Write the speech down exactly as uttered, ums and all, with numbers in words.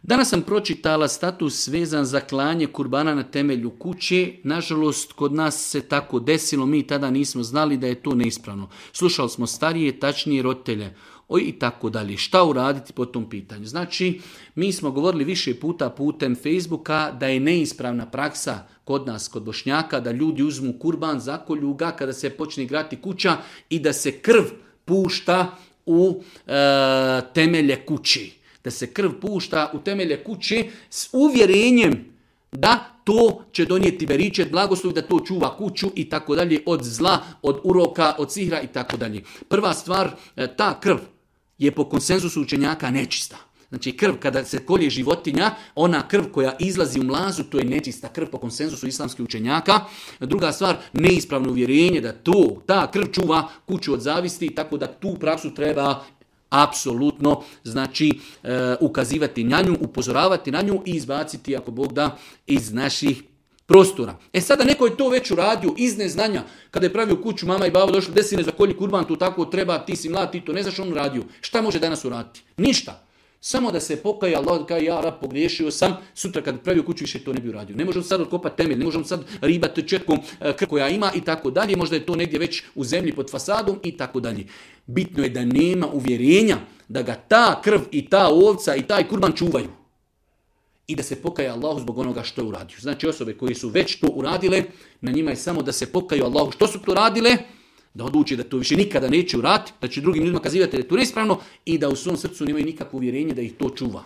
Danas sam pročitala status vezan za klanje kurbana na temelju kuće. Nažalost, kod nas se tako desilo, mi tada nismo znali da je to neispravno. Slušali smo starije, tačnije roditelje. Oj, i tako dalje. Šta uraditi po tom pitanju? Znači, mi smo govorili više puta putem Facebooka da je neispravna praksa kod nas, kod Bošnjaka, da ljudi uzmu kurban, zakolju ga kada se počne igrati kuća i da se krv pušta u e, temelje kući. Da se krv pušta u temelje kuće s uvjerenjem da to će donijeti beričet, blagoslov, da to čuva kuću i tako dalje od zla, od uroka, od sihra i tako dalje. Prva stvar, ta krv je po konsenzusu učenjaka nečista. Znači krv kada se kolje životinja, ona krv koja izlazi u mlazu, to je nečista krv po konsenzusu islamskih učenjaka. Druga stvar, neispravno uvjerenje da to, ta krv čuva kuću od zavisti, tako da tu praksu treba apsolutno znači e, ukazivati na nju, upozoravati na nju i izbaciti ako Bog da iz naših prostora. E sada neko je to već uradio iz neznanja. Kada je pravio kuću, mama i babo došli, desine za kolji kurban, tu tako treba, ti si mlad, ti to ne znaš, on radio. Šta može danas uraditi? Ništa. Samo da se pokaje, Allah kaže ja rab pogriješio sam, sutra kad pravio kuću više to ne bi uradio. Ne možemo sad otkopati temelj, ne možemo sad ribati četkom krv koja ima i tako dalje. Možda je to negdje već u zemlji pod fasadom i tako dalje. Bitno je da nema uvjerenja da ga ta krv i ta ovca i taj kurban čuvaju. I da se pokaje Allahu zbog onoga što je uradio. Znači osobe koji su već to uradile, na njima je samo da se pokaju Allahu što su to radile, da odluče da to više nikada neće uraditi, da će drugim ljudima kazivati da je to neispravno i da u svom srcu nemaju nikakvo uvjerenje da ih to čuva.